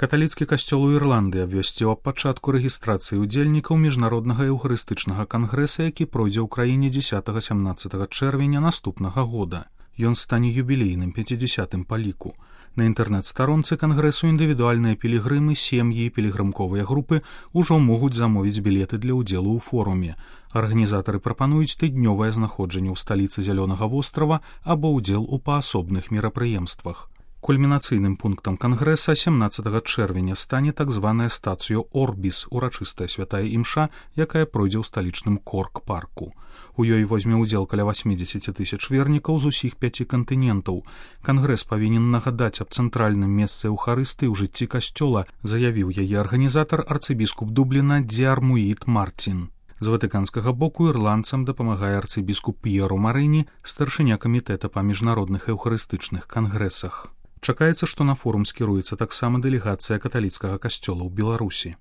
Каталіцкі касцёл у Ірландыі абвясціў аб пачатку рэгістрацыі ўдзельнікаў міжнароднага еўхарыстычнага кангрэса, які пройдзе ў краіне 10-17 чэрвеня наступнага года. Ён стане юбілейным 50-м па ліку. На інтэрнэт-старонцы кангрэсу індывідуальныя пілігрымы, сем'і і пілігрымковыя групы ўжо могуць замовіць білеты для ўдзелу ў форуме. Арганізатары прапануюць тыднёвае знаходжанне ў сталіцы Зялёнага вострава або ўдзел у паасобных мерапрыемствах. Кульмінацыйным пунктам кангрэса 17 чэрвеня стане так званая стацыё Орбіс, урачыстая святая імша, якая пройдзе ў сталічным Корк-парку. У ёй возьме ўдзел каля 80 000 вернікаў з усіх 5 кантынентаў. Кангрэс павінен нагадаць аб цэнтральным месцы эўхарыстыі ў жыцці касцёла, заявіў яе арганізатар арцыбіскуп Дубліна Дзіармуіт Мартін. З ватыканскага боку ірландцам дапамагае арцыбіскуп П'еро Марыні, старшыня камітэта па міжнародных эўхарыстычных кангрэсах. Чакаецца, што на форум скіруецца таксама дэлегацыя каталіцкага касцёла ў Беларусі.